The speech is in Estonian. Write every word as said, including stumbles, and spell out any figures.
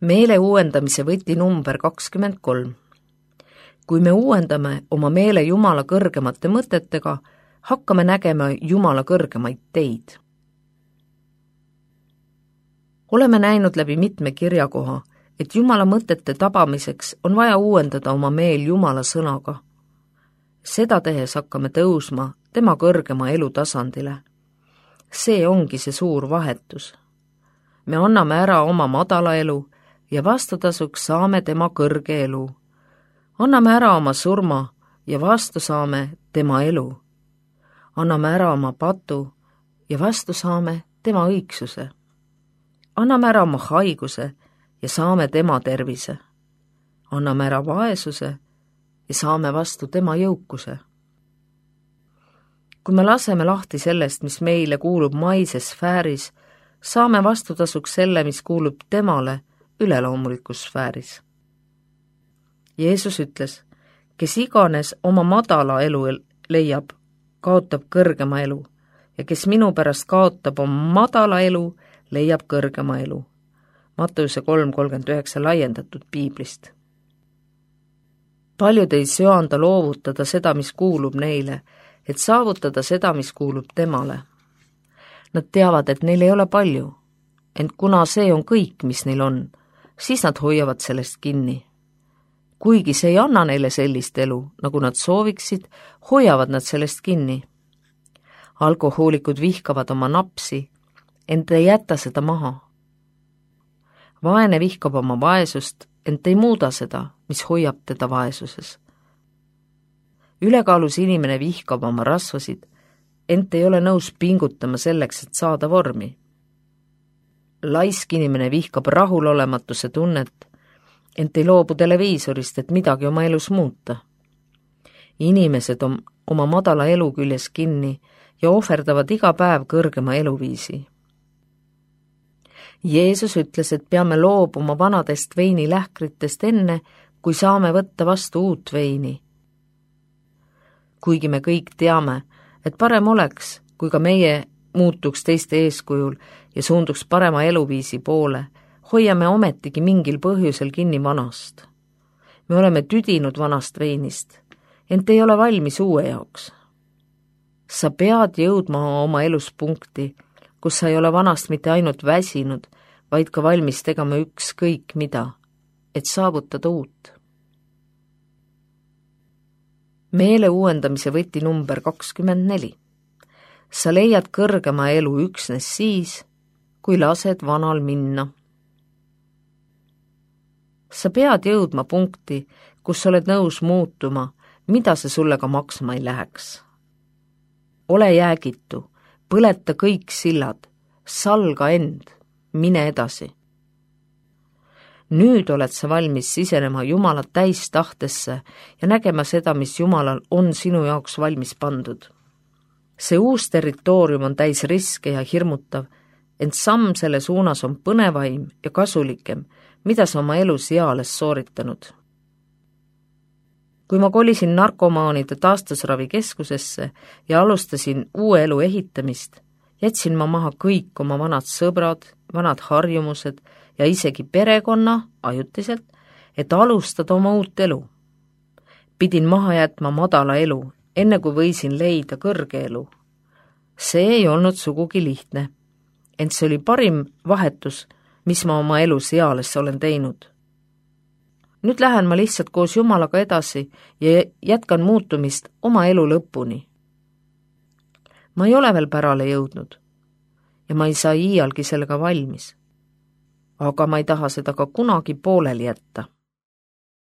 Meele uuendamise võti number kakskümmend kolm. Kui me uuendame oma meele Jumala kõrgemate mõtetega, hakkame nägema Jumala kõrgemaid teid. Oleme näinud läbi mitme kirjakoha, et Jumala mõtete tabamiseks on vaja uuendada oma meel Jumala sõnaga. Seda tehes hakkame tõusma tema kõrgema elutasandile. See ongi see suur vahetus. Me anname ära oma madala elu ja vastutasuks saame tema kõrge elu. Anname ära oma surma ja vastu saame tema elu. Anname ära oma patu ja vastu saame tema õigsuse. Anname ära oma haiguse ja saame tema tervise. Anname ära vaesuse ja saame vastu tema jõukuse. Kui me laseme lahti sellest, mis meile kuulub maises sfääris, saame vastutasuks selle, mis kuulub temale üleloomulikus sfääris. Jeesus ütles, kes iganes oma madala elu leiab, kaotab kõrgema elu ja kes minu pärast kaotab oma madala elu, leiab kõrgema elu. Matteuse kolm kolmkümmend üheksa laiendatud piiblist. Paljud ei söanda loovutada seda, mis kuulub neile, et saavutada seda, mis kuulub temale. Nad teavad, et neil ei ole palju, ent kuna see on kõik, mis neil on, siis nad hoiavad sellest kinni. Kuigi see ei anna neile sellist elu, nagu nad sooviksid, hoiavad nad sellest kinni. Alkohoolikud vihkavad oma napsi, ent ei jäta seda maha. Vaene vihkab oma vaesust, ent ei muuda seda, mis hoiab teda vaesuses. Ülekaalus inimene vihkab oma rasvasid, ent ei ole nõus pingutama selleks, et saada vormi. Laisk inimene vihkab rahulolematuse tunnet, ent ei loobu televiisorist, et midagi oma elus muuta. Inimesed on oma madala elu küljes kinni ja ohverdavad iga päev kõrgema eluviisi. Jeesus ütles, et peame loobuma vanadest veinilähkritest enne, kui saame võtta vastu uut veini. Kuigi me kõik teame, et parem oleks, kui ka meie muutuks teiste eeskujul ja suunduks parema eluviisi poole, hoiame ometigi mingil põhjusel kinni vanast. Me oleme tüdinud vanast veinist, ent ei ole valmis uue jaoks. Sa pead jõudma oma elus punkti, kus sa ei ole vanast mitte ainult väsinud, vaid ka valmis tegema ükskõik mida, et saavutada uut. Meele uuendamise võti number kakskümmend neli. Sa leiad kõrgema elu üksnes siis, kui lased vanal minna. Sa pead jõudma punkti, kus oled nõus muutuma, mida see sulle ka maksma ei läheks. Ole jäägitu, põleta kõik sillad, salga end, mine edasi. Nüüd oled sa valmis sisenema Jumala täis tahtesse ja nägema seda, mis Jumalal on sinu jaoks valmis pandud. See uus territoorium on täis riske ja hirmutav, ent samm selle suunas on põnevaim ja kasulikem, mida sa oma elus eales sooritanud. Kui ma kolisin narkomaanide taastusravikeskusesse ja alustasin uue elu ehitamist, jätsin ma maha kõik oma vanad sõbrad, vanad harjumused ja isegi perekonna ajutiselt, et alustada oma uut elu. Pidin maha jätma madala elu, enne kui võisin leida kõrge elu. See ei olnud sugugi lihtne, ent see oli parim vahetus, mis ma oma elus eales olen teinud. Nüüd lähen ma lihtsalt koos Jumalaga edasi ja jätkan muutumist oma elu lõpuni. Ma ei ole veel pärale jõudnud ja ma ei saa iialgi sellega valmis, aga ma ei taha seda ka kunagi pooleli jätta.